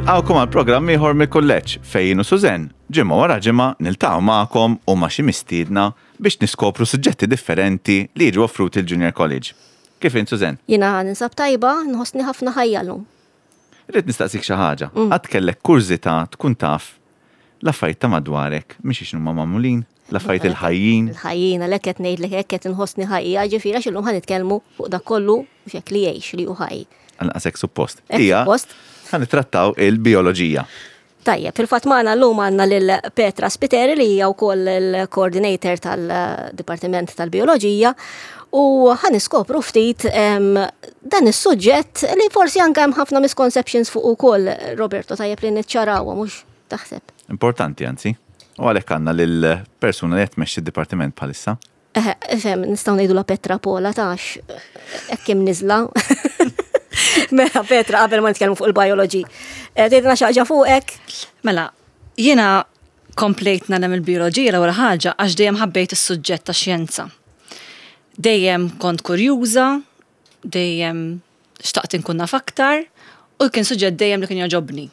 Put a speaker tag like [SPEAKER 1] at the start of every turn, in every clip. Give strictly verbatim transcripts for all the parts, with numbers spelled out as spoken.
[SPEAKER 1] Nilqgħukom għal programm ieħor mill-kulleġġ fejn jien u Suzen ġimgħa wara ġimgħa niltaqgħu magħkom u ma' xi mistiedna biex niskopru suġġetti differenti li jiġu offruti l-Junior College. Kif int, Suzen?
[SPEAKER 2] Jiena ninsab tajba, nħossni ħafna ħajja llum.
[SPEAKER 1] Irrid nistaqsik xi ħaġa. Qatt kellek kurżità tkun taf l-affarijiet ta' madwarek mhix x'inhuma magħmulin, l-affarijiet il-ħajjin?
[SPEAKER 2] Il-ħajjin, għalhekk qed ngħidlek hekk qed inħossni ħajja, ġifieri għax illum ħa nitkellmu fuq dak kollu u xek li jgħix li hu ħaj.
[SPEAKER 1] Għalqas hekk suppost.
[SPEAKER 2] Hekk
[SPEAKER 1] Hija
[SPEAKER 2] suppost.
[SPEAKER 1] ħa nittrattaw il-bioloġija.
[SPEAKER 2] Tajjeb, fil-fatt magħna llum għandna lil Petra Spiteri li hija wkoll il-coordinator tal-Dipartiment tal-Bioloġija u ħa niskopru ftit em, dan is-suġġett li forsi anke hemm ħafna misconceptions fuq ukoll, Roberto, tajjeb li niċċarawha, mhux taħseb?
[SPEAKER 1] Importanti anzi. U għalhekk għandna lill-persuna li qed tmexxi d-dipartiment bħalissa.
[SPEAKER 2] Eħe, ifhem, nistgħu ngħidu la Petra Pola tax hekk hemm niżla. Mela Petra, qabel ma nitkellmu fuq il-biology. Eh, Tgħidilna xi ħaġa fuqek?
[SPEAKER 3] Mela, jiena komplejt nagħlem il-bioloġija l-ewwel ħaġa għax dejjem ħabbejt is-suġġett ta' xjenza. Dejjem kont kurjuża, dejjem xtaqt inkun naf aktar u kien suġġett dejjem li kien jogħġobni.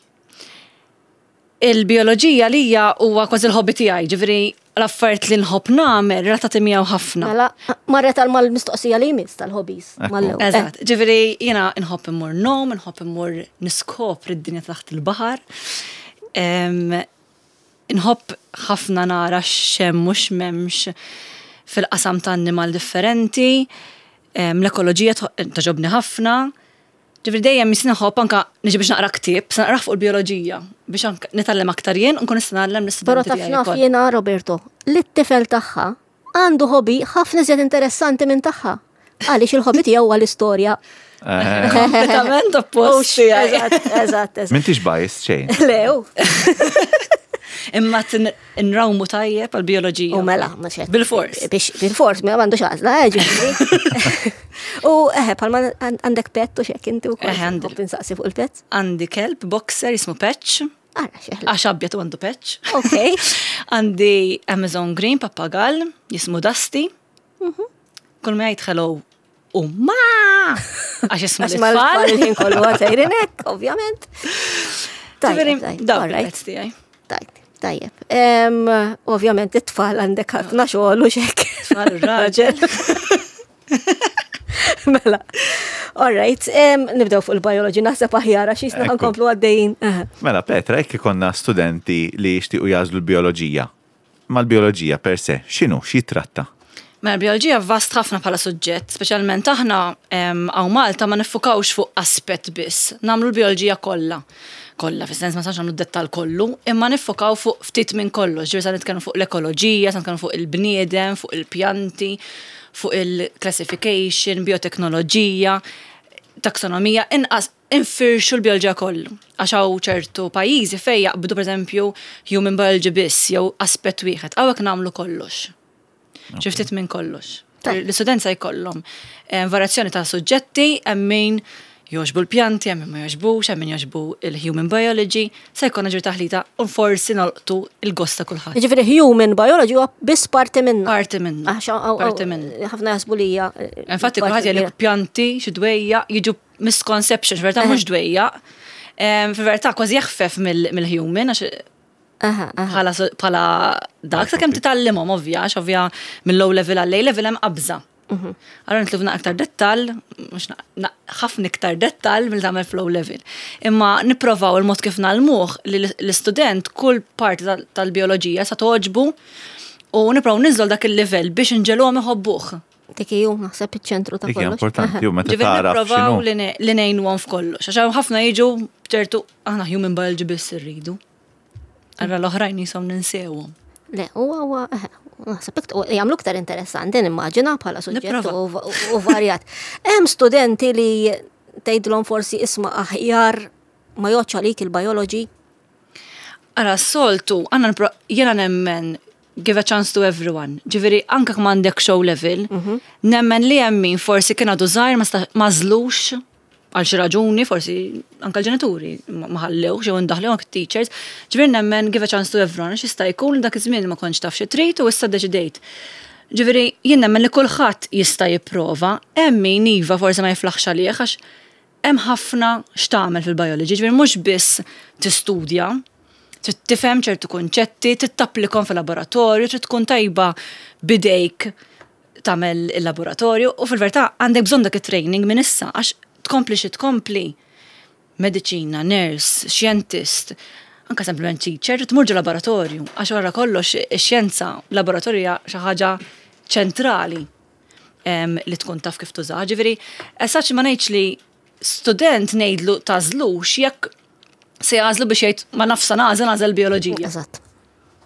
[SPEAKER 3] Il-bioloġija lija huwa kważi l-hobby tiegħi, ġifieri l-affarijiet li nħobb nagħmel relatati miegħu ħafna.
[SPEAKER 2] Mela, marret għal mal-mistoqsija li jmiss tal-hobbies.
[SPEAKER 1] Ekku.
[SPEAKER 2] Mal-ewwel.
[SPEAKER 3] Eżatt, ġifieri jiena nħobb immur ngħum, nħobb immur niskopri d-dinja taħt il-baħar. Em, Nħobb ħafna nara x'hemm mhux m'hemmx fil-qasam ta' annimal differenti. Em, L-ekoloġija tħo- togħġobni ħafna. Ġifieri dejjem jisni nħobb anka niġi biex naqra ktieb, se naqra fuq il-bioloġija biex anka nitgħallem aktar jien u nkun nista' ngħallem
[SPEAKER 2] Però
[SPEAKER 3] l-istudenti
[SPEAKER 2] taf
[SPEAKER 3] tiegħi
[SPEAKER 2] naf
[SPEAKER 3] wkoll.
[SPEAKER 2] jiena, Roberto, li t-tifel tagħha għandu hobby ħafna iżjed interessanti minn tagħha. Għaliex il-hobby tiegħu huwa l-istorja.
[SPEAKER 1] Eh,
[SPEAKER 3] Kompletament oppost tiegħi.
[SPEAKER 2] Eżatt, eżatt, eżatt.
[SPEAKER 1] M'intix biased xejn.
[SPEAKER 2] Lew.
[SPEAKER 3] Imma nrawmu tajjeb għal-bioloġija.
[SPEAKER 2] U mela, ma xed.
[SPEAKER 3] Bil-fors.
[SPEAKER 2] Biex bil-fors, ma għandux għażla, eh, ġifieri. U eħe, palma għandek pet u xek inti u
[SPEAKER 3] Eħe, għandi.
[SPEAKER 2] Nħobb insaqsi fuq il-pet.
[SPEAKER 3] Għandi kelb boxer jismu Patch.
[SPEAKER 2] Ara, xeħla.
[SPEAKER 3] Għax abjad u għandu patch.
[SPEAKER 2] Ok.
[SPEAKER 3] Għandi Amazon Green pappagal jismu Dusty.
[SPEAKER 2] Mhm.
[SPEAKER 3] Kull ma jgħid hello u ma! Għax jismu
[SPEAKER 2] Għax mal-tfal
[SPEAKER 3] l-tfal.
[SPEAKER 2] il-ħin kollu għatajrin hekk, ovvjament.
[SPEAKER 3] Ġifieri,
[SPEAKER 2] Tajjeb, tajjeb,
[SPEAKER 3] dawk
[SPEAKER 2] all right.
[SPEAKER 3] il-pets tiegħi.
[SPEAKER 2] Tajjeb, tajjeb. Em, Ovvjament it-tfal għandek ħafna xogħol u xek.
[SPEAKER 3] Tfal u raġel.
[SPEAKER 2] Mela. All right, em, nibdew fuq il-biology, naħseb aħjar għax jisna
[SPEAKER 1] Ekku.
[SPEAKER 2] nkomplu għaddejjin. Aha.
[SPEAKER 1] Mela Petra, jekk ikollna studenti li jixtiequ jagħżlu l-bioloġija. Ma l-bioloġija per se, x'inhu, x'jitratta?
[SPEAKER 3] Mela l-bioloġija vast ħafna bħala suġġett, speċjalment aħna em, hawn Malta ma niffukawx fuq aspett biss, nagħmlu l-bioloġija kollha. Kollha, fis-sens ma nistgħux nagħmlu d-dettal kollu, imma niffukaw fuq ftit minn kollox, ġifieri sa nitkellmu fuq l-ekoloġija, sa nitkellmu fuq il-bniedem, fuq il-pjanti, fuq il-classification, bioteknoloġija, taksonomija, inqas infirxu l-bioloġija kollu. Għax hawn ċertu pajjiżi fejn jaqbdu pereżempju human biology biss jew aspett wieħed, hawnhekk nagħmlu kollox. Xi ftit minn kollox.
[SPEAKER 2] Tajjeb.
[SPEAKER 3] L-istudent se jkollhom eh, varjazzjoni ta' suġġetti, hemm min jogħġbu l-pjanti, hemm min ma jogħġbux, hemm min jogħġbu il-human biology, se jkollna ġir taħlita u forsi nolqtu il-gost ta' kulħadd.
[SPEAKER 2] Ġifieri human biology huwa biss parti minna.
[SPEAKER 3] Parti minna.
[SPEAKER 2] Għax hawn-
[SPEAKER 3] Parti minna.
[SPEAKER 2] Ħafna jaħsbu li hija. eh,
[SPEAKER 3] Infatti
[SPEAKER 2] parti
[SPEAKER 3] kulħadd jgħidlek
[SPEAKER 2] kbira.
[SPEAKER 3] pjanti, xi dwejja, jiġu misconceptions, verità mhux dwejja. Em, Fil-verità kważi jeħfef mill- mill-human, għax
[SPEAKER 2] Aha, aha.
[SPEAKER 3] bħala bħala dak sakemm titgħallimhom ovvja, għax ovvja mill-low level għal A level hemm qabża. Allora nitilgħu aktar dettal, mhux na- na- ħafna iktar dettal mill tagħmel f'low level. Imma nipprovaw il-mod kif ngħallmuh li l- l-istudent kull parti tal- tal-bioloġija sa togħġbu u nipprovaw ninżlu dak il-level biex inġegħluhom iħobbuh.
[SPEAKER 2] Dik ju, naħseb iċ-ċentru ta'
[SPEAKER 1] Dik hija
[SPEAKER 2] kollox.
[SPEAKER 1] importanti, u meta
[SPEAKER 3] Ġifieri
[SPEAKER 1] tara
[SPEAKER 3] nipprovaw
[SPEAKER 1] x'inhu.
[SPEAKER 3] li ne- li ngħinuhom f'kollox. Għax hawn ħafna jiġu ċertu aħna human biology biss irridu. Allura l-oħrajn jisom ninsewhom.
[SPEAKER 2] Le, huwa huwa eh, naħseb ikt- u jagħmlu iktar interessanti nimmaġina bħala suġġett
[SPEAKER 3] Nipprova.
[SPEAKER 2] u u- u varjat. Hemm studenti li tgħidlhom forsi isma' aħjar ma jgħodx għalik il-biology.
[SPEAKER 3] Ara, soltu, għanna nipro- jena nemmen give a chance to everyone. Ġifieri, anka m'għandek O level, nemmen li hemm min forsi kien għadu żgħir ma sta- ma żlux għal xi raġuni, forsi anka l-ġenituri ma ma ħallewx jew indaħlew anke teachers. Ġifieri nemmen give a chance to everyone, għax jista' jkun li dak iż-żmien ma kontx taf xi trid u issa deċidejt. Ġifieri, jien nemmen li kulħadd jista' jipprova, hemm min iva forsi ma jiflaħx għalih għax Hemm ħafna x'tagħmel fil-biology, ġifieri mhux biss tistudja, trid tifhem ċertu kunċetti, trid tapplikhom fil-laboratorju, trid tkun tajba bidejk tagħmel il-laboratorju u fil-verità għandek bżonn dak it-training minn issa għax tkompli xi tkompli mediċina, nurse, xjentist, anka sempliment teacher, tmur ġo laboratorju, għax wara kollox ix-xjenza laboratorju xi ħaġa ċentrali em, li tkun taf kif tuża. Ġifieri, esaċ ma ngħidx li student ngħidlu tagħżlux jekk se jagħżlu biex jgħid ma nafsa nagħżel nagħżel bioloġija.
[SPEAKER 2] Eżatt.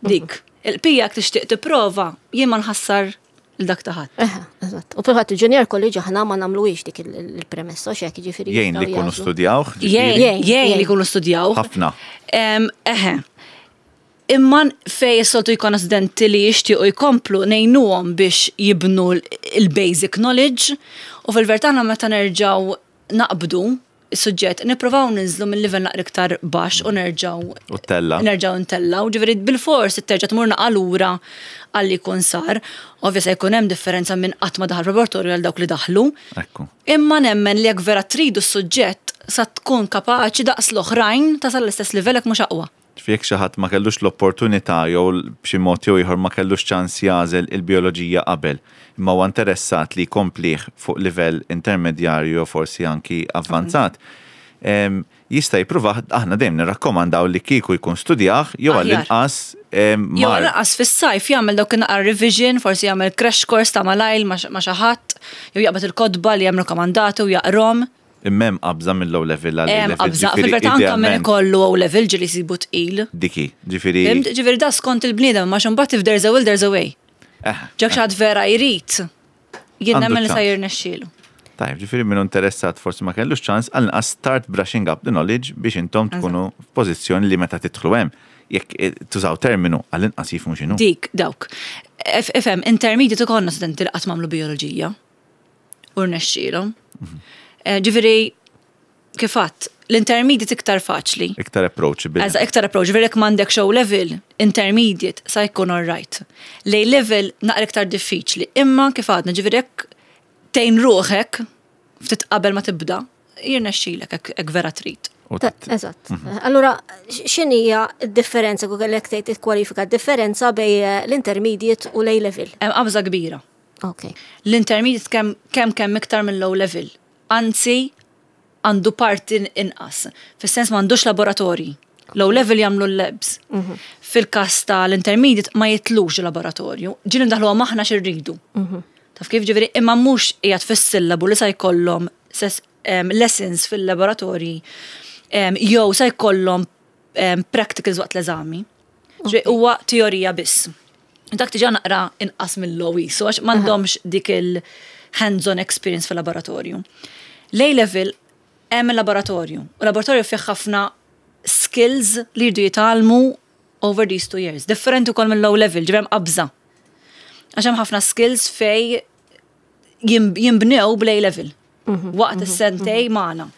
[SPEAKER 3] Dik. Il-pija jekk tixtieq tipprova, jien ma nħassar il-dak taħat.
[SPEAKER 2] Eħe, eżatt. U fil-fatt il-junior college aħna ma nagħmluhiex dik il- il-premessa, xek ġifieri.
[SPEAKER 1] Jgħin li
[SPEAKER 2] jistgħu
[SPEAKER 1] jkunu
[SPEAKER 2] jagħżlu.
[SPEAKER 1] studjawh.
[SPEAKER 3] Jgħin,
[SPEAKER 1] ġifieri,
[SPEAKER 2] Jgħin,
[SPEAKER 3] jgħin li jkunu studjaw.
[SPEAKER 1] Ħafna.
[SPEAKER 3] Em, Eħe. Imma fej s-soltu jkun studenti li jixtiequ jkomplu ngħinuhom biex jibnu l- il-basic knowledge u fil-verità aħna meta nerġgħu naqbdu is-suġġett nippruvaw ninżlu mill-livell naqra iktar baxx u nerġgħu
[SPEAKER 1] U ttella'.
[SPEAKER 3] nerġgħu ntellaw, ġifieri bil-fors terġa' tmur naqa lura għalli jkun sar. Ovvja se jkun hemm differenza minn qatt ma daħal laboratorju għal dawk li daħlu.
[SPEAKER 1] Ekku.
[SPEAKER 3] Imma nemmen li jekk vera tridu s-suġġett sa tkun kapaċi daqs l-oħrajn tasal l-istess livell jekk mhux aqwa.
[SPEAKER 1] Ġifieri jekk xi ħadd ma kellux l-opportunità jew b'xi mod jew ieħor ma kellux ċans jagħżel il-bioloġija qabel, imma huwa interessat li jkomplih fuq livell intermedjarju jew forsi anki avvanzat. em, Jista' jipprova aħna dejjem nirrakkomandaw li kieku jkun studjah jew
[SPEAKER 3] Aħjar.
[SPEAKER 1] għall-inqas em,
[SPEAKER 3] Jew
[SPEAKER 1] mar.
[SPEAKER 3] lanqas fis-sajf jagħmel dawk naqra revision, forsi jagħmel crash course ta' malajl ma' ma' xi ħadd, jew jaqbad il-kotba li hemm rakkomandati u jaqrom.
[SPEAKER 1] Imma hemm qabża mill-O level għal
[SPEAKER 3] Hemm
[SPEAKER 1] level.
[SPEAKER 3] qabża,
[SPEAKER 1] ġifieri
[SPEAKER 3] fil-verità anke min
[SPEAKER 1] idealment
[SPEAKER 3] ikollu O level ġieli jsibu tqil.
[SPEAKER 1] Diki, ġifieri.
[SPEAKER 3] Fhimt? Ġifieri da skont il-bniedem, ma mbagħad if there's a will there's a way.
[SPEAKER 1] Eh,
[SPEAKER 3] Jekk xi ħadd vera jrid, jien
[SPEAKER 1] Għandu
[SPEAKER 3] nemmen li sa
[SPEAKER 1] ċans.
[SPEAKER 3] jirnexxielu.
[SPEAKER 1] Tajb, ġifieri min interessat forsi ma kellux ċans għal start brushing up the knowledge biex intom tkunu f'pożizzjoni li meta tidħlu hemm. Jekk eh, tużaw terminu għall-inqas jifhmu x'inhu.
[SPEAKER 3] Dik, dawk. F- Ifhem, intermediate ikollna studenti li qatt m'għamlu bioloġija. U rnexxielhom. Eh, Ġifieri, kif għedt, l-intermediate iktar faċli.
[SPEAKER 1] Iktar approachable.
[SPEAKER 3] Eżatt, iktar approach, ġifieri jekk m'għandek O level, intermediate, sa jkun all right. L-A level naqra iktar diffiċli, imma kif għadna, ġifieri jekk tgħin ruħek, ftit qabel ma tibda, jirnexxilek hekk hekk vera trid.
[SPEAKER 1] U
[SPEAKER 2] Ta-
[SPEAKER 1] t-
[SPEAKER 2] Eżatt. Allura, x'inhija d-differenza, kieku kellek tgħid tikkwalifika d-differenza bejn eh, l-intermediate u l-A level?
[SPEAKER 3] Hemm qabża kbira.
[SPEAKER 2] Ok.
[SPEAKER 3] L-intermediate kemm kemm kemm iktar minn O level. Anzi, għandu parti inqas. Fis-sens m'għandux laboratorji. L-O level jagħmlu l-labs. Fil-każ tal-intermediate ma jitilgħux laboratorju. Ġieli ndaħlu aħna x'irridu. Taf kif ġifieri imma mhux qiegħed fis-sillabu li sa jkollhom ses- em, lessons fil-laboratorji em, jew sa jkollhom em, practicals waqt l-eżami. Ġifieri huwa teorija biss. Dak diġà naqra inqas mill-O so għax m'għandhomx dik il-hands-on experience fil-laboratorju. L-A level hemm il-laboratorju. U laboratorju fih ħafna skills li jridu jitgħallmu over these two years. Differenti wkoll mill-O level, ġifieri hemm qabża. Għax hemm ħafna skills fej jim- jimbnew bl-A level. Waqt is-sentejn magħna.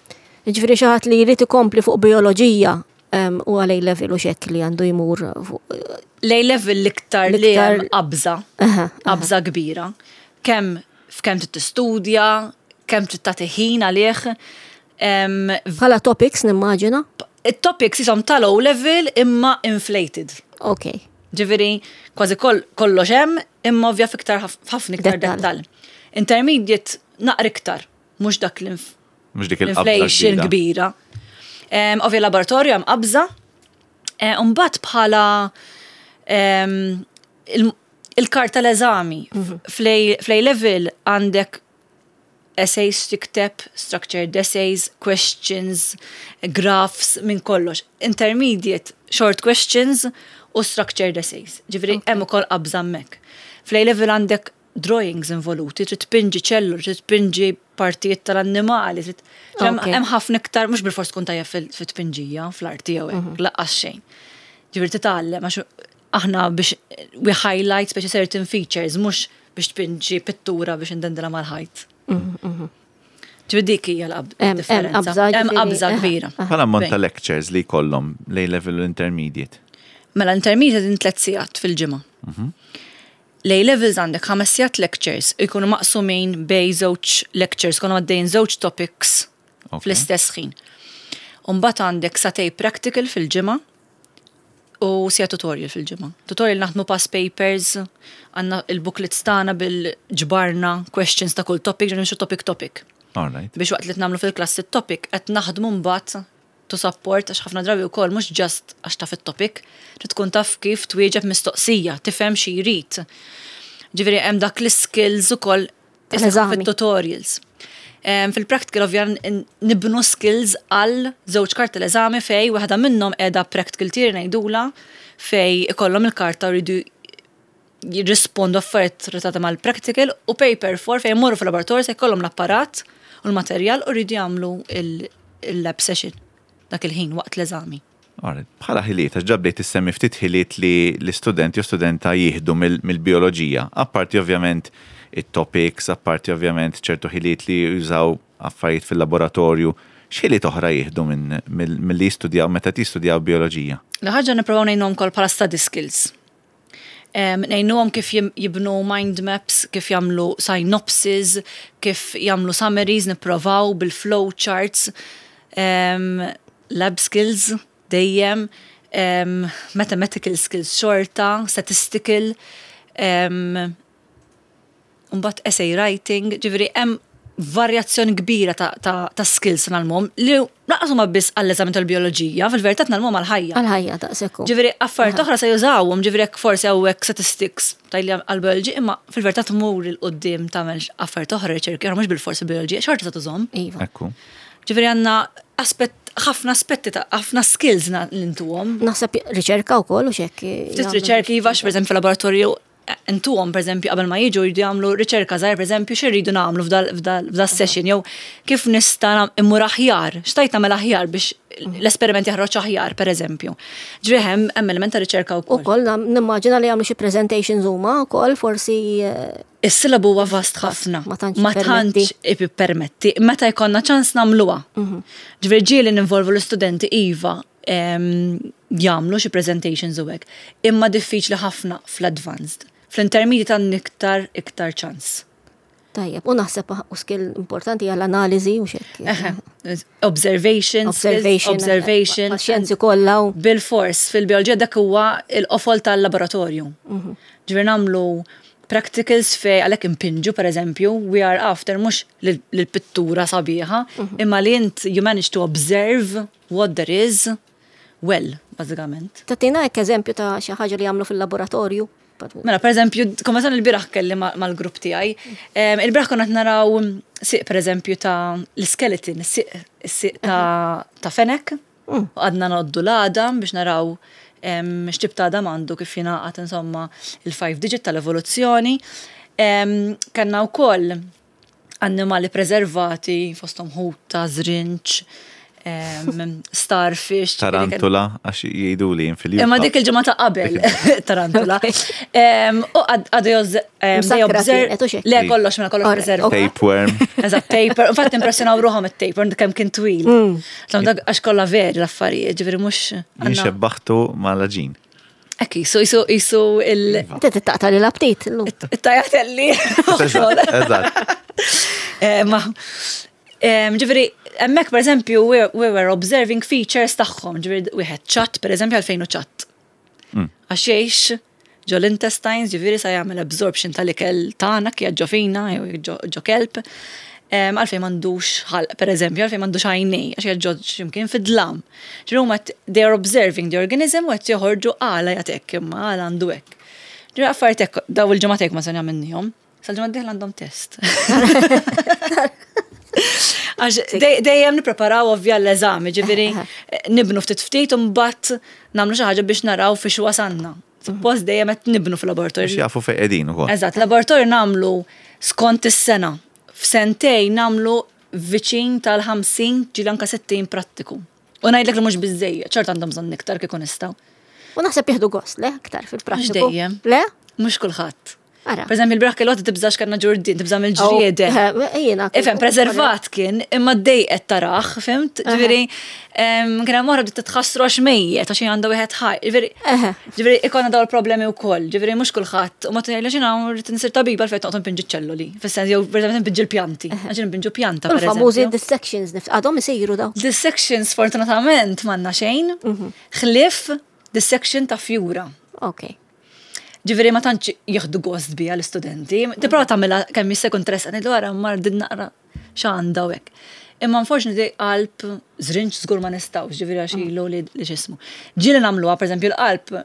[SPEAKER 2] Ġifieri xi ħadd li jrid ikompli fuq bioloġija em, u għal A level u xek li għandu jmur fuq.
[SPEAKER 3] L-A level l-iktar li
[SPEAKER 2] L-iktar-
[SPEAKER 3] hemm qabża.
[SPEAKER 2] Aha,
[SPEAKER 3] Qabża kbira. Kemm f'kemm trid tistudja, kemm trid tagħti ħin għalih. Em,
[SPEAKER 2] Bħala topics nimmaġina?
[SPEAKER 3] Il-topics jisom tal-O level imma inflated.
[SPEAKER 2] Ok.
[SPEAKER 3] Ġifieri, kważi kol, kollox hemm, imma ovvja fiktar ħafna iktar
[SPEAKER 2] Dettal.
[SPEAKER 3] dettal. Intermediate naqra iktar, mhux dak l-inf
[SPEAKER 1] Mhux dik il-qabża
[SPEAKER 3] l-inflation
[SPEAKER 1] kbira.
[SPEAKER 3] kbira. Em, Ovvja laboratorju hemm qabża. Eh, Mbagħad bħala em, il- il-karta l-eżami fl-A level għandek essays tikteb, structured essays, questions, graphs, minn kollox. Intermediate, short questions u structured essays. Ġifieri, hemm ukoll qabża hemmhekk. Fl-A level għandek drawings involuti, trid tpinġi ċellul, trid tpinġi partijiet tal-annimali, trid hemm
[SPEAKER 2] Ok.
[SPEAKER 3] hemm ħafna iktar, mhux bil-fors tkun tajjeb fil- fit-tpinġija, fl-arti jew hekk, lanqas xejn. Ġifieri titgħallem għax aħna biex we highlight speċi certain features, mhux biex tpinġi pittura biex indendela mal-ħajt. Ġifieri dik hija
[SPEAKER 2] Hemm- hemm
[SPEAKER 3] l-differenza.
[SPEAKER 2] qabża,
[SPEAKER 3] Hemm
[SPEAKER 2] ġifieri,
[SPEAKER 3] qabża
[SPEAKER 2] eh,
[SPEAKER 3] kbira.
[SPEAKER 1] Bħala ammont ta'
[SPEAKER 3] Bejn.
[SPEAKER 1] lectures li jkollhom l-A level u intermediate.
[SPEAKER 3] Mela intermediate din tliet sigħat fil-ġimgħa. L-A levels għandek ħames sigħat lectures ikunu maqsumin bejn żewġ lectures, konu għaddejn żewġ topics
[SPEAKER 1] Ok.
[SPEAKER 3] Fl-istess ħin. Umbagħad għandek sagħtejn practical fil-ġimgħa u siegħa tutorial fil-ġimgħa. Tutorial naħdmu past papers, għandna il-booklets tagħna bil-ġbarna questions ta' kull topic, ġo nimxu topic topic.
[SPEAKER 1] All right.
[SPEAKER 3] Biex waqt li nagħmlu fil-klassi topic qed naħdmu mbagħad to support għax ħafna drabi wkoll mhux just għax taf it-topic, trid tkun taf kif twieġeb mistoqsija, tifhem xi jrid. Ġifieri hemm dak l-skills ukoll
[SPEAKER 2] Tal-eżami.
[SPEAKER 3] fit-tutorials. Em, Fil-practical ovvja n- nibnu skills għal żewġ karti l-eżami fej waħda minnhom qiegħda practical theory ngħidula fej ikollhom il-karta u jridu jirrispondu affarijiet relatati mal-practical u paper four fej jmorru fil-laboratorju se jkollhom l-apparat u l-materjal u jridu jagħmlu il- il-lab session dak il-ħin waqt l-eżami.
[SPEAKER 1] Alright. Bħala ħiliet, għax ġa bdejt issemmi ftit ħiliet li l-istudenti u studenta jieħdu mill- mill-bioloġija. Apparti ovvjament it-topics, apparti ovvjament ċertu ħiliet li jużaw affarijiet fil-laboratorju. X'ħiliet oħra jieħdu minn mill- mill-li jistudjaw meta jistudjaw bioloġija?
[SPEAKER 3] L-ħaġa nipprovaw ngħinuhom kol bħala study skills. Um, ngħinuhom kif jim- jibnu mind maps, kif jagħmlu synopsis, kif jagħmlu summaries, nipprovaw bil-flow charts, um, lab skills dejjem, um, mathematical skills xorta, statistical, um, Mbagħad essay writing, ġifieri hemm varjazzjoni kbira ta', ta, ta skills ngħallmuhom li lanqas huma biss għall-eżami tal-bioloġija, fil-verità ngħallmuhom għal-ħajja.
[SPEAKER 2] Għal-ħajja daqshekk.
[SPEAKER 3] Ġifieri affarijiet oħra se jużawhom, ġifieri jekk forsi hawnhekk statistics tajli għal-bioloġi, imma fil-verità tmur 'il quddiem tagħmel affarijiet oħra riċerki, oħra mhux bil-forsi bioloġija, xorta se tużhom.
[SPEAKER 2] Iva.
[SPEAKER 1] Ekku.
[SPEAKER 3] Ġifieri għandna aspett ħafna aspetti ta' ħafna skills na- li ntuhom.
[SPEAKER 2] Naħseb riċerka wkoll u xek.
[SPEAKER 3] Ftit riċerki iva, per eżempju fil-laboratorju intuhom per eżempju qabel ma jiġu jridu jagħmlu riċerka żgħir per eżempju x'irridu nagħmlu f'dal session jew kif nista' immur aħjar, x'stajt nagħmel aħjar biex l-esperiment jaħroġ aħjar per eżempju. Ġifieri hemm hemm element ta' riċerka
[SPEAKER 2] U
[SPEAKER 3] wkoll.
[SPEAKER 2] koll nimmaġina li jagħmlu xi presentations huma wkoll forsi eh,
[SPEAKER 3] Is-sillabu huwa vast ħafna.
[SPEAKER 2] Ma tantx
[SPEAKER 3] Ma tantx ippermetti. Meta jkollna ċans nagħmluha. Ġifieri ġieli ninvolvu l-istudenti iva em, jagħmlu xi presentations u hekk. Imma diffiċli ħafna fl-advanced. Fl-intermediate għandna iktar iktar ċans.
[SPEAKER 2] Tajjeb, u naħseb u skill importanti għall analiżi u xek.
[SPEAKER 3] Eħe, Observation, skills,
[SPEAKER 2] Observation.
[SPEAKER 3] observation.
[SPEAKER 2] Xjenzi kollha u
[SPEAKER 3] Bil-fors, fil-bioloġija dak huwa il-qofol tal-laboratorju. Ġifieri nagħmlu practicals fej għalhekk impinġu per eżempju, we are after mhux l-pittura sabiħa, imma li int you manage to observe what there is well, bażikament.
[SPEAKER 2] Tagħtina hekk eżempju ta' xi ħaġa li jagħmlu fil-laboratorju.
[SPEAKER 3] Mela, per eżempju, konna il-bieraħ kelli ma- mal-grupp tiegħi. Em, Il-bieraħ konna qed naraw siq per eżempju ta' l-skeleton, siq is-siq ta' ta' fenek. U għadna ngħoddu l-għadam biex naraw em, x'tip ta' għadam għandu kif jingħaqad insomma il-five digit tal-evoluzzjoni. Em, Kellna wkoll annimali preservati fosthom ħuta, żrinġ, em, starfish.
[SPEAKER 1] Tarantula, għax jgħidu li fil
[SPEAKER 3] Imma dik il-ġimgħa ta' qabel, tarantula. Em, U għadu joz.
[SPEAKER 2] Msakkra kienet, u xek?
[SPEAKER 3] Le, kollox, mela kollox
[SPEAKER 2] Alright,
[SPEAKER 3] preservat.
[SPEAKER 2] okay.
[SPEAKER 1] Tapeworm.
[SPEAKER 3] Eżatt, taper. Infatti impressjonaw ruħhom it-taper, kemm kien twil. Tlom dak għax kollha veri l-affarijiet, ġifieri mhux.
[SPEAKER 1] Jien xebbaħtu mal-għaġin.
[SPEAKER 3] Ekki, so jisu jisu il.
[SPEAKER 2] Inti tittaqta li l-aptit illum.
[SPEAKER 3] It-tajatelli.
[SPEAKER 1] Eżatt, eżatt.
[SPEAKER 3] Eh, Ma, em, ġifieri, hemmhekk per eżempju, we, we were observing features tagħhom, ġifieri, wieħed ċatt, per eżempju, għalfejn hu ċatt. Għax jgħix ġo l-intestines, ġifieri sa jagħmel absorption tal-ikel tagħna kif ġo fina, jew ġo ġo kelb. Em, Għalfejn m'għandux ħalq, per eżempju, għalfejn m'għandux għajnej, għax ġo x'imkien fid-dlam. Ġifieri huma they are observing the organism u qed joħorġu għala jagħtek imma għala għandu hekk. Ġifieri affarijiet hekk daw il-ġimgħat hekk ma se nagħmilnihom. Sal-ġimgħa d-dieħla għandhom test. Għax dej- dejjem nippreparaw ovvja l-eżami, ġifieri nibnu ftit ftit u mbagħad nagħmlu xi ħaġa biex naraw fiex wasanna. Suppost dejjem qed nibnu
[SPEAKER 1] Biex
[SPEAKER 3] fil-laboratorju.
[SPEAKER 1] jafu fejn qegħdin ukoll.
[SPEAKER 3] Eżatt, laboratorju nagħmlu skont is-sena. F'sentejn nagħmlu viċin tal-ħamsin ġieli anka sittin prattiku. U ngħidlek li mhux biżejjed, ċert għandhom bżonn iktar kieku nistgħu.
[SPEAKER 2] U naħseb jieħdu gost, le, aktar fil-prattiku.
[SPEAKER 3] dejjem.
[SPEAKER 2] Le?
[SPEAKER 3] Mhux kulħadd.
[SPEAKER 2] Ara.
[SPEAKER 3] Per eżempju, il-bieraħ kellu tibżax kellna ġurdien, tibża mill-ġrieden.
[SPEAKER 2] Oh, eh, jiena.
[SPEAKER 3] Ifhem, preservat kien, imma ddejqet tarah, fhimt? Ġifieri, em, kien hemm oħra bdiet titħassru għax mejjet, għax għandha wieħed ħaj. Ġifieri,
[SPEAKER 2] Eħe.
[SPEAKER 3] ġifieri ikollna dawn il-problemi wkoll, ġifieri mhux kulħadd, u ma tgħidli x'inhu rrid insir tabiba għalfejn toqgħod npinġi ċelloli. Fis-sens jew per npinġi l-pjanti, għax npinġu pjanta
[SPEAKER 2] U
[SPEAKER 3] per
[SPEAKER 2] l-famużi
[SPEAKER 3] eżempju.
[SPEAKER 2] dissections, nif- għadhom isiru daw.
[SPEAKER 3] Dissections fortunatament m'għandna xejn, ħlief dissection ta' fjura.
[SPEAKER 2] Ok.
[SPEAKER 3] Ġifieri ma tantx jieħdu gost biha l-istudenti. Tipprova tagħmilha kemm jista' jkun interessanti ngħidlu ara mar din naqra x'għandha u hekk. Imma unfortunately qalb żrinġ żgur ma nistgħux, ġifieri għax ilu li li x'ismu. Ġieli nagħmluha pereżempju l-qalb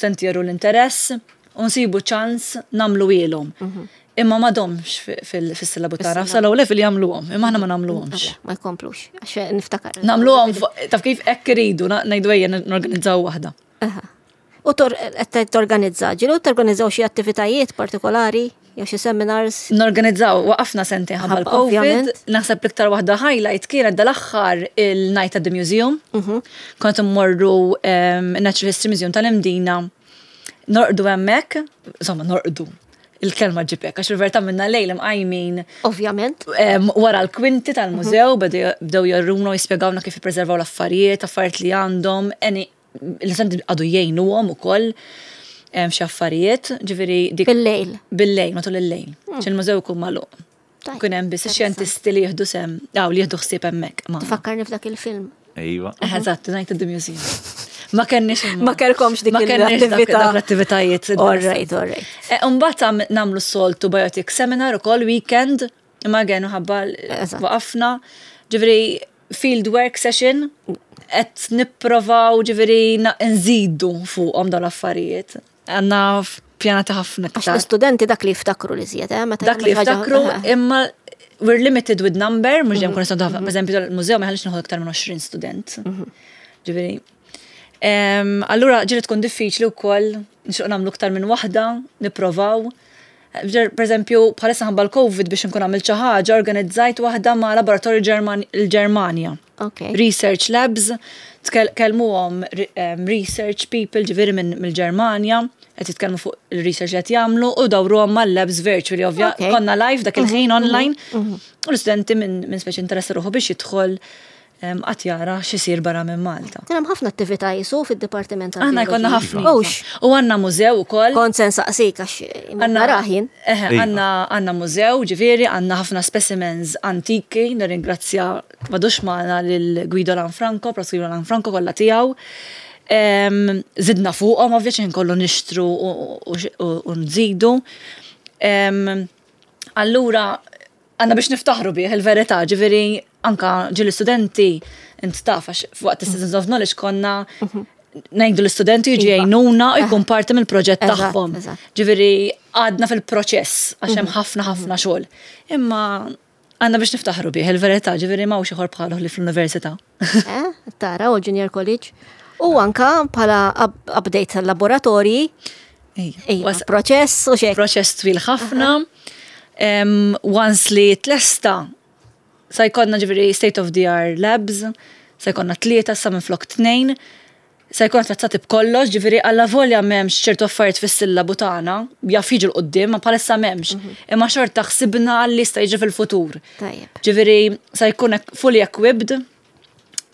[SPEAKER 3] senti jeru l-interess u nsibu ċans nagħmlu ilhom. Imma m'għadhomx fis-sillabu tagħna, sal level jagħmluhom, imma aħna ma nagħmluhomx.
[SPEAKER 2] Ma jkomplux, għax niftakar.
[SPEAKER 3] Nagħmluhom fuq- taf kif hekk iridu, na- ngħidu ejja norganizzaw waħda.
[SPEAKER 2] Aha. U tor- qed torganizza, ġieli torganizzaw xi attivitajiet partikolari, jew xi seminars.
[SPEAKER 3] Norganizzaw, waqafna sentejn ħabba
[SPEAKER 2] Ħabba,
[SPEAKER 3] l-Covid,
[SPEAKER 2] ovvjament.
[SPEAKER 3] naħseb l-iktar waħda highlight kienet dal-aħħar il-Night at the Museum. Kont immorru um, Natural History Museum tal-Imdina, norqdu hemmhekk, insomma norqdu, il-kelma ġibek, għax il-verità minna lejl imqajmin
[SPEAKER 2] Ovvjament.
[SPEAKER 3] em, wara l-kwinti tal-mużew, bdew bdew juruna u jispjegawna kif jippreservaw l-affarijiet, affarijiet li għandhom, eni l-istudenti għadu jgħinuhom ukoll em, xi affarijiet, ġifieri dik
[SPEAKER 2] Bil-lejl.
[SPEAKER 3] Bil-lejl, matul il-lejl. X'il-mużew ikun magħluq.
[SPEAKER 2] Tajjeb,
[SPEAKER 3] Kun hemm biss ix-xjentisti li jieħdu sem, aw li jieħdu ħsieb hemmhekk. magħna.
[SPEAKER 2] Tifakkarni f'dak il-film.
[SPEAKER 1] Ejwa.
[SPEAKER 3] Eżatt, Night at the Museum. Ma kenniex
[SPEAKER 2] Ma kellkomx dik
[SPEAKER 3] ma kenniex dak-
[SPEAKER 2] l-attività.
[SPEAKER 3] dak l-attivitajiet.
[SPEAKER 2] All right, all right.
[SPEAKER 3] Umbagħad għam- nagħmlu s-soltu Biotic Seminar ukoll weekend, imma għenu ħabba
[SPEAKER 2] Eżatt.
[SPEAKER 3] waqafna. Ġifieri field work session, qed nipprovaw ġifieri na- nżidu fuqhom dawn l-affarijiet. Għandna pjanati ħafna
[SPEAKER 2] Għax
[SPEAKER 3] iktar.
[SPEAKER 2] l-istudenti dak li jiftakru li żjed, eh? Meta
[SPEAKER 3] Dak li
[SPEAKER 2] jagħmlu xi ħaġa-
[SPEAKER 3] jiftakru,
[SPEAKER 2] Aha.
[SPEAKER 3] imma we're limited with number, mhux dejjem kun nistgħu ħafna. Per eżempju, il-mużew ma jħallix nieħu iktar minn għoxrin student. Ġifieri. Em, Allura ġieli tkun diffiċli wkoll nixtieq nagħmlu iktar minn waħda, nipprovaw. Ġer- Per eżempju, bħalissa ħabba l-Covid biex nkun għamilt xi ħaġa, organizzajt waħda ma' laboratorju Ġerman- il-Ġermanja.
[SPEAKER 2] Ok.
[SPEAKER 3] Research Labs, tkellmuhom research people ġifieri minn mill-Ġermanja, qed jitkellmu fuq il-research li qed jagħmlu u dawruhom mal-labs virtually ovvja.
[SPEAKER 2] Ok.
[SPEAKER 3] Konna live dak il-ħin online. U l-istudenti minn min speċi interessa ruħu biex jidħol em, qatt jara x'isir barra minn Malta.
[SPEAKER 2] Kien hemm ħafna attività jisu fid-dipartiment
[SPEAKER 3] Aħna jkollna ħafna.
[SPEAKER 2] Ux,
[SPEAKER 3] U għandna mużew ukoll.
[SPEAKER 2] kont se nsaqsik għax
[SPEAKER 3] Għanna
[SPEAKER 2] raħin.
[SPEAKER 3] Eħe,
[SPEAKER 1] Iva.
[SPEAKER 3] għanna għanna mużew, ġifieri, għanna ħafna specimens antiki, nirringrazzja m'għadux magħna lil Guido Lanfranco, Prof Guido Lanfranco kollha tiegħu. Em, Zidna fuqhom, ovvja ċen kollu nixtru u- u u- u nżidu. Em, Allura, għanna biex niftaħru bih il-verità, ġifieri, anka ġieli studenti, int taf, għax f'waqt Citizens of Knowledge konna ngħidu l-istudenti jiġi
[SPEAKER 2] Iva.
[SPEAKER 3] jgħinuna u jkun parti mill-proġett
[SPEAKER 2] Eżatt,
[SPEAKER 3] tagħhom.
[SPEAKER 2] eżatt.
[SPEAKER 3] Ġifieri għadna fil-proċess għax hemm ħafna ħafna xogħol. Imma għandna biex niftaħru bih il-verità, ġifieri m'hawnx ieħor bħalu li fl-università.
[SPEAKER 2] Eh, Tara, u Junior College. U anka bħala up- update tal-laboratorji, Ejja,
[SPEAKER 3] Was-
[SPEAKER 2] proċess u xek.
[SPEAKER 3] Proċess twil ħafna. Em, Once li tlesta, sa jkollna ġifieri state of the art labs, sa jkollna tlieta sa minn flok tnejn, sa jkollna trazzati b'kollox, ġifieri alla volja m'hemmx ċertu affarijiet fis-sillabu tagħna, jaf jiġu 'l quddiem, ma bħalissa m'hemmx. Imma xorta ħsibna li sta jiġi fil-futur.
[SPEAKER 2] Tajjeb.
[SPEAKER 3] Ġifieri sa jkun ek- fully equipped,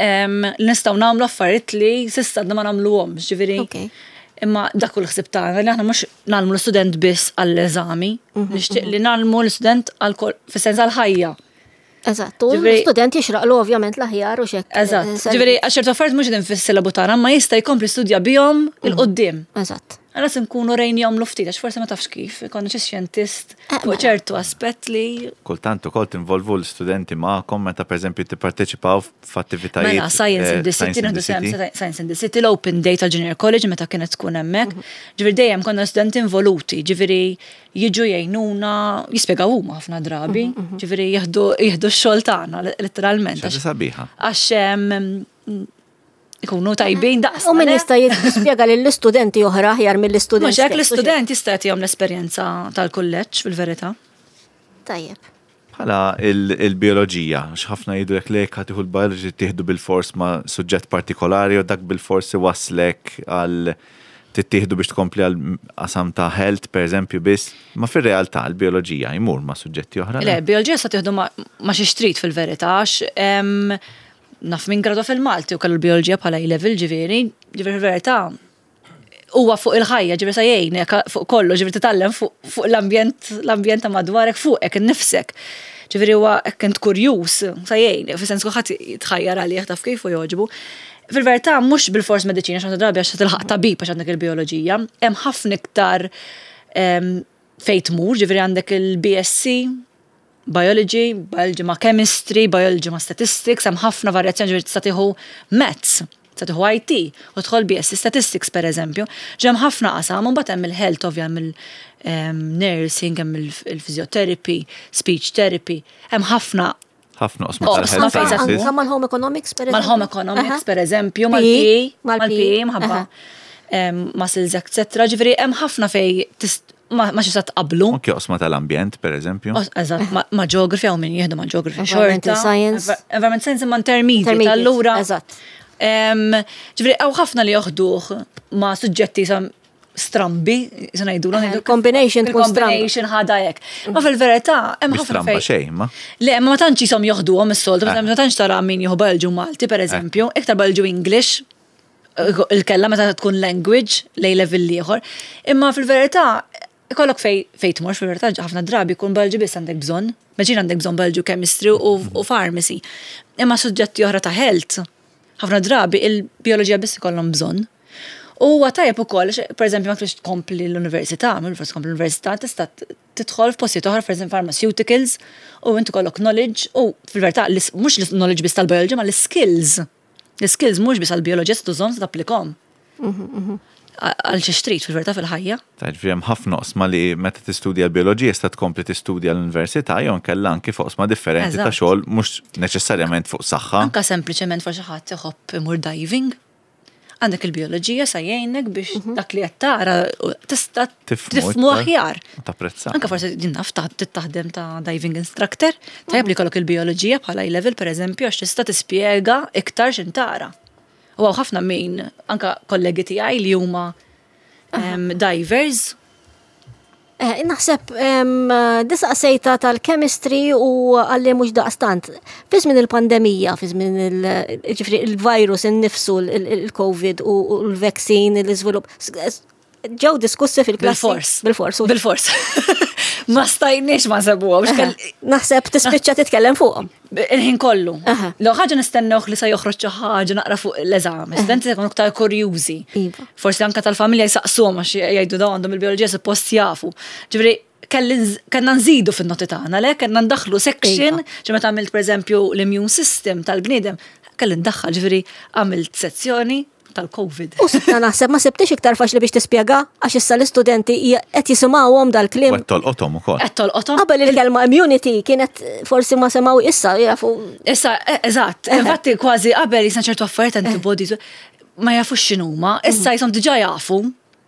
[SPEAKER 3] em, li nistgħu nagħmlu affarijiet li s'issa għadna ma nagħmluhomx, ġifieri.
[SPEAKER 2] Ok.
[SPEAKER 3] Imma dak kull ħsib tagħna li aħna mhux ngħallmu l-istudent biss għall-eżami, nixtieq li ngħallmu l-istudent għal fis-sens għall-ħajja.
[SPEAKER 2] Eżatt, u
[SPEAKER 3] Ġifieri-
[SPEAKER 2] l-student jixraqlu ovvjament l-aħjar u xek.
[SPEAKER 3] Eżatt.
[SPEAKER 2] Eh,
[SPEAKER 3] Ġifieri għax ċertu affarijiet mhux qegħdin fis-sillabu tagħna, ma jista' jkompli studja bihom 'il quddiem.
[SPEAKER 2] Eżatt.
[SPEAKER 3] Għala se nkunu rejnihom ftit, għax forsi ma tafx kif, ikonna xi xjentist
[SPEAKER 2] Eh,
[SPEAKER 3] fuq
[SPEAKER 2] mela.
[SPEAKER 3] ċertu aspett li
[SPEAKER 1] Kultant ukoll tinvolvu l-studenti magħkom meta pereżempju tipparteċipaw f'attivitajiet.
[SPEAKER 3] Mela, Science in
[SPEAKER 1] eh,
[SPEAKER 3] the City,
[SPEAKER 1] Science in
[SPEAKER 3] nieħdu
[SPEAKER 1] the
[SPEAKER 3] sem
[SPEAKER 1] City.
[SPEAKER 3] Science in the City, l-Open Day tal-Junior College meta kienet tkun hemmhekk. Ġifieri dejjem konna studenti involuti, ġifieri jiġu jgħinuna, jispjegaw huma ħafna drabi, ġifieri jieħdu jieħdu x-xogħol tagħna letteralment.
[SPEAKER 1] Xi ħaġa
[SPEAKER 3] Għax-
[SPEAKER 1] sabiħa.
[SPEAKER 3] Għax em, ikunu tajbin daqs.
[SPEAKER 2] U min jista' jispjega lill-istudenti oħra aħjar mill-istudent.
[SPEAKER 3] Mhux hekk
[SPEAKER 2] stess, u xek.
[SPEAKER 3] l-istudent jista' jagħtihom l-esperjenza tal-kulleġġ fil-verità.
[SPEAKER 2] Tajjeb.
[SPEAKER 1] Bħala il- il-bioloġija, x'ħafna jgħidu jekk lek ħa tieħu l-biology tieħdu bil-fors ma' suġġett partikolari u dak bil-fors iwaslek għal Tittieħdu biex tkompli għal qasam ta' health, per eżempju, biss, ma fir-realtà l-bioloġija jmur ma' suġġetti oħra.
[SPEAKER 3] Le, bioloġija sa tieħdu ma ma xi trid fil-verità, għax em, naf min gradwa fil-Malti u kellu l-bioloġija bħala A-level ġifieri, ġifieri fil-verità huwa fuq il-ħajja, ġifieri sa jgħinek fuq kollu, ġifieri titgħallem fuq fuq l-ambjent l-ambjent ta' madwarek fuqek innifsek. Ġifieri huwa hekk int kurjuż, sa jgħin, fis-sens kulħadd jitħajjar għalih taf kif u jogħġbu. Fil-verità mhux bil-fors mediċina xi drabi għax tilħaq tabib għax għandek il-bioloġija, hemm ħafna iktar em, fejn tmur, ġifieri għandek il-B S C, biology, biology ma' chemistry, biology ma' statistics, hemm ħafna varjazzjoni, ġifieri tista' tieħu maths, tista' tieħu I T u tidħol B S C statistics, per eżempju. Ġem ħafna qasam, u mbagħad hemm il-health ovvja, hemm il-nursing, hemm il-physiotherapy, speech therapy, hemm ħafna
[SPEAKER 1] ħafna oqsma
[SPEAKER 3] Oqsma
[SPEAKER 1] tal-health
[SPEAKER 3] fejn sa
[SPEAKER 1] sciences.
[SPEAKER 2] Anka mal-home economics, per eżempju.
[SPEAKER 3] Mal-home economics, per eżempju,
[SPEAKER 2] P E,
[SPEAKER 3] mal-P E,
[SPEAKER 2] mal-P E,
[SPEAKER 3] mal-P E, mħabba em, muscles, et cetera. Ġifieri hemm ħafna fej tist- ma ma xi sa tqablu.
[SPEAKER 1] Anke oqsma tal-ambjent, per eżempju.
[SPEAKER 3] Os- Eżatt, ma- ma' geography hawn min jieħdu ma' geography
[SPEAKER 2] Environmental
[SPEAKER 3] xorta.
[SPEAKER 2] science.
[SPEAKER 3] Envi- Environment science imma intermediate,
[SPEAKER 2] Intermediate,
[SPEAKER 3] allura.
[SPEAKER 2] eżatt.
[SPEAKER 3] Em, Ġifieri hawn ħafna li joħduh ma' suġġetti sa strambi, sa ngħidu
[SPEAKER 2] Eh, il-combination tkun stramba.
[SPEAKER 3] Il-combination ħada hekk. Ma fil-verità hemm
[SPEAKER 1] Mhix
[SPEAKER 3] ħafna
[SPEAKER 1] stramba
[SPEAKER 3] fejn.
[SPEAKER 1] xejn, ma.
[SPEAKER 3] Le, ma ma tantx jisom joħduhom is-soltu,
[SPEAKER 1] Eh.
[SPEAKER 3] ma tantx tara min jieħu biology Malti, per eżempju, iktar biology English, il-kella meta tkun language, lej level ieħor. Imma fil-verità, ikollok fej fej tmur, fil-verità ħafna drabi jkun biology biss għandek bżonn. Meġin għandek bżonn biology, chemistry u, u pharmacy. Imma suġġetti oħra ta' health, ħafna drabi il-bioloġija biss ikollhom bżonn. U huwa tajjeb ukoll, għax, per eżempju, ma tridx tkompli l-università, minn forsi tkompli l-università, tista' tidħol f'postijiet oħra, per eżempju pharmaceuticals, u inti kollok knowledge, u fil-verità l- mhux l-knowledge biss tal-biology, ma l-skills. L-skills mhux biss għall-bioloġija se tużhom, se tapplikhom għal xi trid fil-verità fil-ħajja.
[SPEAKER 1] Ta' ġifieri hemm ħafna oqsma li meta tistudja l-bioloġija sta tkompli tistudja l-università jew nkella anki fuq oqsma differenti ta'
[SPEAKER 3] Eżatt.
[SPEAKER 1] xogħol, mhux neċessarjament fuq saħħa.
[SPEAKER 3] Anka sempliċement forsi ħadd iħobb imur diving. Għandek il-bioloġija sa jgħinek biex dak li qed tara u tista'
[SPEAKER 1] Tifhmu
[SPEAKER 3] tifhmu
[SPEAKER 1] iktar.
[SPEAKER 3] aħjar.
[SPEAKER 1] U tapprezza.
[SPEAKER 3] Anka forsi din naf ta' taħdem ta' diving instructor, tajjeb li jkollok il-bioloġija bħala level, per eżempju, għax tista' tispjega iktar x'in tara. U hawn ħafna min, anka kollegi tiegħi li huma em, divers.
[SPEAKER 2] Eh, naħseb em, disaqsejta tal-chemistry u għalli mhux daqstant. Fi żmien il-pandemija, fi żmien il- ġifieri il-virus innifsu, il- il-Covid u u l-vaccine, l-iżvilupp, s- ġew diskussi fil-klassi.
[SPEAKER 3] Bil-fors.
[SPEAKER 2] Bil-fors. u-
[SPEAKER 3] Bil-fors. Ma stajniex ma nsebuhom.
[SPEAKER 2] Naħseb tispiċċa titkellem fuqhom.
[SPEAKER 3] Il-ħin kollu.
[SPEAKER 2] Aha.
[SPEAKER 3] Law ħaġa nistennewh li sa joħroġ xi ħaġa naqra fuq l-eżami. Studenti se jkunu iktar kurjużi.
[SPEAKER 2] Iva.
[SPEAKER 3] Forsi anka tal-familja jsaqsuhom għax jgħidu dawn għandhom il-bioloġija, suppost jafu. Ġifieri kelli nż- kellna nżidu fin-noti tagħna, le kellna ndaħlu section,
[SPEAKER 2] Iva.
[SPEAKER 3] ġi meta għamilt pereżempju l-immune system tal-bniedem, kelli ndaħħal, ġifieri għamilt sezzjoni tal-Covid.
[SPEAKER 2] U sibta naħseb ma sibtix iktar faċli biex tispjega għax issa l-istudenti hija- qed jisimgħuhom dal-kliem.
[SPEAKER 1] U qed tolqothom ukoll.
[SPEAKER 3] Qed tolqothom.
[SPEAKER 2] Qabel il-kelma immunity kienet forsi ma semgħu, issa jafu.
[SPEAKER 3] Issa, eh, eżatt, infatti kważi qabel jisna ċertu affarijiet, antibodies, ma jafux x'inhuma, issa jisom diġà jafu.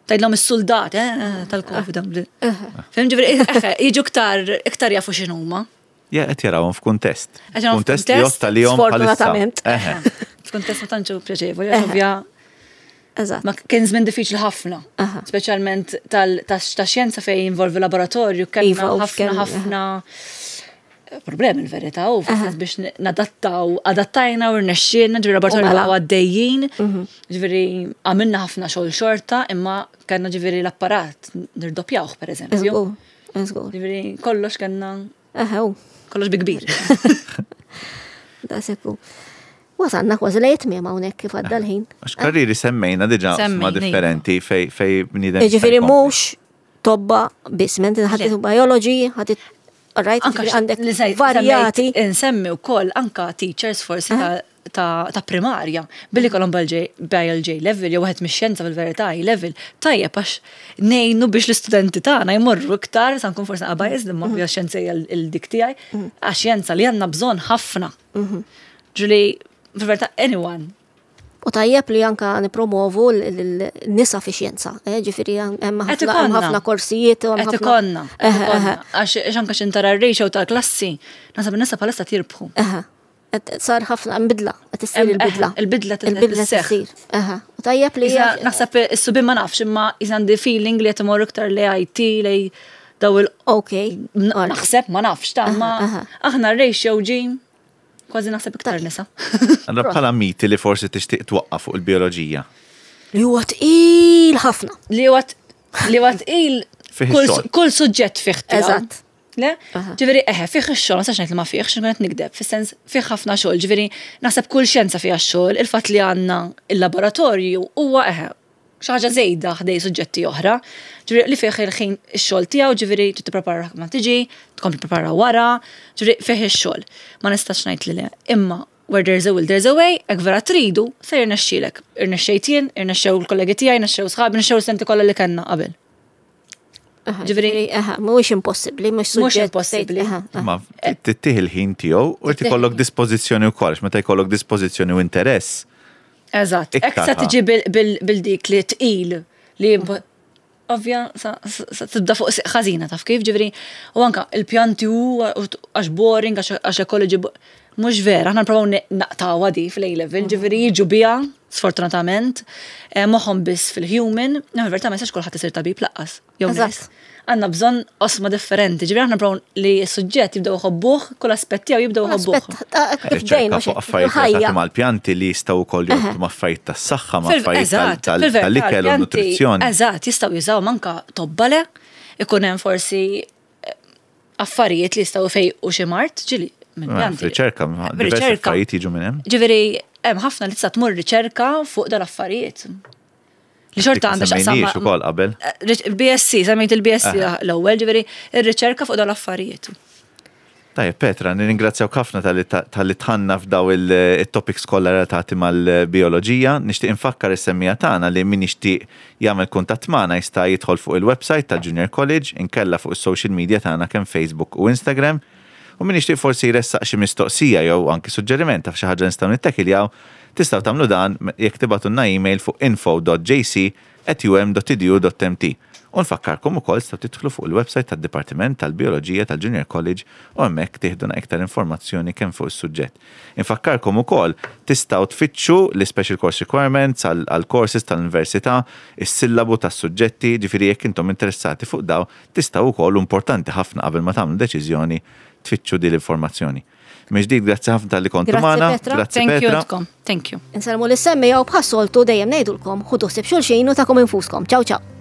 [SPEAKER 3] Tgħidlhom is-soldat eh, tal-Covid. Fhimt, ġifieri, eh, jiġu iktar iktar jafu x'inhuma.
[SPEAKER 1] Ja, qed jarawhom f'kuntest.
[SPEAKER 3] Qed jarawhom
[SPEAKER 1] Kuntest li
[SPEAKER 3] f'kuntest,
[SPEAKER 1] jotta li jom bħalissa.
[SPEAKER 2] sfortunatament.
[SPEAKER 1] Eħe.
[SPEAKER 3] F'kuntest ma tantx pjaċevoli, għax ovvja
[SPEAKER 2] Eżatt.
[SPEAKER 3] ma kien żmien diffiċli ħafna.
[SPEAKER 2] Aha.
[SPEAKER 3] Speċjalment tal ta' ta' xjenza fejn jinvolvi laboratorju, kellna
[SPEAKER 2] Iva, u
[SPEAKER 3] ħafna
[SPEAKER 2] kell-
[SPEAKER 3] ħafna problemi l-verità u fis biex nadattaw, adattajna u rnexxielna, ġifieri laboratorju
[SPEAKER 2] U mela.
[SPEAKER 3] baqgħu għaddejjin, ġifieri għamilna ħafna xogħol xorta, imma kellna ġifieri l-apparat nirdoppjawh, per eżempju.
[SPEAKER 2] Żgur, żgur.
[SPEAKER 3] Ġifieri kollox kellna
[SPEAKER 2] Eħe, u,
[SPEAKER 3] kollox bi kbir.
[SPEAKER 2] Da sekku. Wasanna kważi lejn tmiem hawnhekk kif għadda l-ħin.
[SPEAKER 1] Għax karriri semmejna diġà oqsma
[SPEAKER 3] Semmejna,
[SPEAKER 1] differenti fej fej bniedem jista'
[SPEAKER 2] Ġifieri
[SPEAKER 1] jkompli.
[SPEAKER 2] mhux tobba biss, mentri ħadd biology, ħadd, right,
[SPEAKER 3] Anka
[SPEAKER 2] ġifieri għandek
[SPEAKER 3] li sej-
[SPEAKER 2] varjati.
[SPEAKER 3] semmejt- Insemmi wkoll anka teachers forsi ta' ta' ta' primarja, billi kollhom biology level, jew wieħed mix-xjenza fil-verità level, tajjeb għax ngħinu biex l-istudenti tagħna jmorru iktar, sa nkun forsi biased, imma mm xjenza hija l-dik tiegħi, għax xjenza li għandna bżonn ħafna. Ġifieri, fil-verità, anyone.
[SPEAKER 2] U tajjeb li anka nipromovu l-nisa fi xjenza, eh, ġifieri hemm
[SPEAKER 3] Qed
[SPEAKER 2] ħafna hemm
[SPEAKER 3] ikollna.
[SPEAKER 2] ħafna korsijiet u hemm
[SPEAKER 3] Qed
[SPEAKER 2] ħafna.
[SPEAKER 3] ikollna, qed
[SPEAKER 2] Eħe,
[SPEAKER 3] ikollna.
[SPEAKER 2] eħe,
[SPEAKER 3] Għax għax anka x'intara r-ratio tal-klassi, nasab in-nisa bħalissa tirbħu.
[SPEAKER 2] eħe. Qed sar ħafna bidla, qed issir
[SPEAKER 3] Em,
[SPEAKER 2] il-bidla.
[SPEAKER 3] eh, il-bidla qed
[SPEAKER 2] Il-bidla
[SPEAKER 3] isseħħ.
[SPEAKER 2] issir. Aha. U tajjeb li
[SPEAKER 3] Issa, naħseb is-subien ma nafx imma issa għandi feeling li qed imorru iktar lejn I T, lejn daw il
[SPEAKER 2] Ok.
[SPEAKER 3] N- Naħseb ma nafx ta' ma
[SPEAKER 2] Aha,
[SPEAKER 3] aħna r-ratio ġi kważi naħseb iktar nisa.
[SPEAKER 1] Allora bħala miti li forsi tixtieq twaqqaf fuq il-bioloġija.
[SPEAKER 2] Li huwa tqil ħafna.
[SPEAKER 3] Li huwa li huwa tqil
[SPEAKER 1] Fih
[SPEAKER 3] kull
[SPEAKER 1] ix-xogħol.
[SPEAKER 3] kull suġġett fih tiegħu.
[SPEAKER 2] Eżatt.
[SPEAKER 3] Le?
[SPEAKER 2] Aha.
[SPEAKER 3] Ġifieri eħe, fih ix-xogħol, ma nistax ngħid li ma fih, x'nkun qed nikdeb, fis-sens fih ħafna xogħol, ġifieri naħseb kull xjenza fiha x-xogħol, il-fatt li għandna il-laboratorju huwa eħe xi ħaġa żejda ħdej suġġetti oħra. Ġifieri li fih il-ħin ix-xogħol tiegħu, ġifieri trid tipprepara ma tiġi, tkompli prepara wara, ġifieri fih ix-xogħol. Ma nistax ngħid li le. Imma where there's a will, there's a way, jekk vera tridu, se jirnexxielek. Irnexxejt jien, irnexxew il-kollegi tiegħi, irnexxew sħabi, irnexxew l-studenti kollha li kellna qabel.
[SPEAKER 2] Aha,
[SPEAKER 3] Ġifieri-
[SPEAKER 2] aha, mhuwiex impossibbli, mhux
[SPEAKER 3] Mhux
[SPEAKER 2] suġġett.
[SPEAKER 3] impossibbli.
[SPEAKER 2] Aha, aha.
[SPEAKER 1] Ma tittih il-ħin tiegħu u ikollok dispożizzjoni wkoll, għax meta jkollok dispożizzjoni u interess.
[SPEAKER 3] Eżatt,
[SPEAKER 1] Iktar
[SPEAKER 3] Ek sa
[SPEAKER 1] ħa.
[SPEAKER 3] tiġi bil- bil- bil-dik li tqil li impo- ovvja sa sa tibda fuq siq ħażina, taf kif, ġifieri, u anka il-pjanti u għax boring, għax għax ecology bo- mhux vera, aħna nipprovaw naqtawha di fil-A level, ġifieri jiġu biha sfortunatament, eh, moħħhom biss fil-human, no, verità ma jistax kulħadd isir tabib lanqas. Jew
[SPEAKER 2] Eżatt.
[SPEAKER 3] nurse. Għandna bżonn oqsma differenti, ġifieri aħna nipprovaw li s-suġġett jibdew jħobbuh, kull aspett tiegħu jibdew jħobbuh.
[SPEAKER 2] Aspett, ta' kif bdejna
[SPEAKER 1] Riċerka fuq affarijiet
[SPEAKER 2] ħajja.
[SPEAKER 1] relatati mal-pjanti li jistgħu wkoll jorbtu ma' affarijiet tas-saħħa, ma'
[SPEAKER 3] Fil-
[SPEAKER 1] affarijiet tal-
[SPEAKER 3] eżatt,
[SPEAKER 1] tal-
[SPEAKER 3] fil-verità,
[SPEAKER 1] tal-ikel u
[SPEAKER 3] l-pjanti,
[SPEAKER 1] nutrizzjoni.
[SPEAKER 3] Eżatt, jistgħu jużaw manka tobbale, ikun hemm forsi eh, affarijiet li jistgħu fejqu xi mard, ġieli minn
[SPEAKER 1] Eh,
[SPEAKER 3] pjanti.
[SPEAKER 1] Riċerka, diversi
[SPEAKER 3] Riċerka.
[SPEAKER 1] affarijiet jiġu minn hemm.
[SPEAKER 3] Ġifieri hemm ħafna li tista' tmur riċerka fuq dal-affarijiet. Li xorta għandha x'taqsam
[SPEAKER 1] Semmejniex
[SPEAKER 3] ma-
[SPEAKER 1] ukoll qabel.
[SPEAKER 3] Eh, Il-B S C, semmejt il-B S C l-ewwel, ġifieri ir-riċerka fuq dal-affarijiet.
[SPEAKER 1] Tajjeb, Petra, nirringrazzjawk ħafna talli talli dħalna f'daw il-topics kollha relatati mal-bioloġija. Nixtieq infakkar is-semmiegħa tagħna li min jixtieq jagħmel kuntatt magħna jista' jidħol fuq il-website tal-Junior College, inkella fuq is-social media tagħna kemm Facebook u Instagram. U min jixtieq forsi jressaq xi mistoqsija jew anki suġġeriment ta' xi ħaġa nistgħu nittekiljaw, tistgħu tagħmlu dan jekk tibagħtulna email fuq info dot J C at U M dot edu dot M T. U nfakkarkom ukoll tistgħu tidħlu fuq il-website tad-Dipartiment tal-Bioloġija tal-Junior College u hemmhekk tieħdu iktar informazzjoni kemm fuq is-suġġett. Infakkarkom ukoll tistgħu tfittxu l-Special Course Requirements għal courses tal-università, is-sillabu tas-suġġetti, ġifieri jekk intom interessati fuq daw, tistgħu wkoll, importanti ħafna qabel ma tagħmlu deċiżjoni, tfittxu din l-informazzjoni. Mill-ġdid, grazzi ħafna talli kontu
[SPEAKER 2] Grazzi,
[SPEAKER 1] magħna.
[SPEAKER 2] Petra.
[SPEAKER 1] Grazzi
[SPEAKER 3] Thank you
[SPEAKER 1] Petra.
[SPEAKER 3] intkom. Thank you.
[SPEAKER 2] Insellmu lis-semmiegħa u bħas-soltu dejjem ngħidulkom ħudu ħsieb xulxin u tagħkom infuskom. Ciao ciao.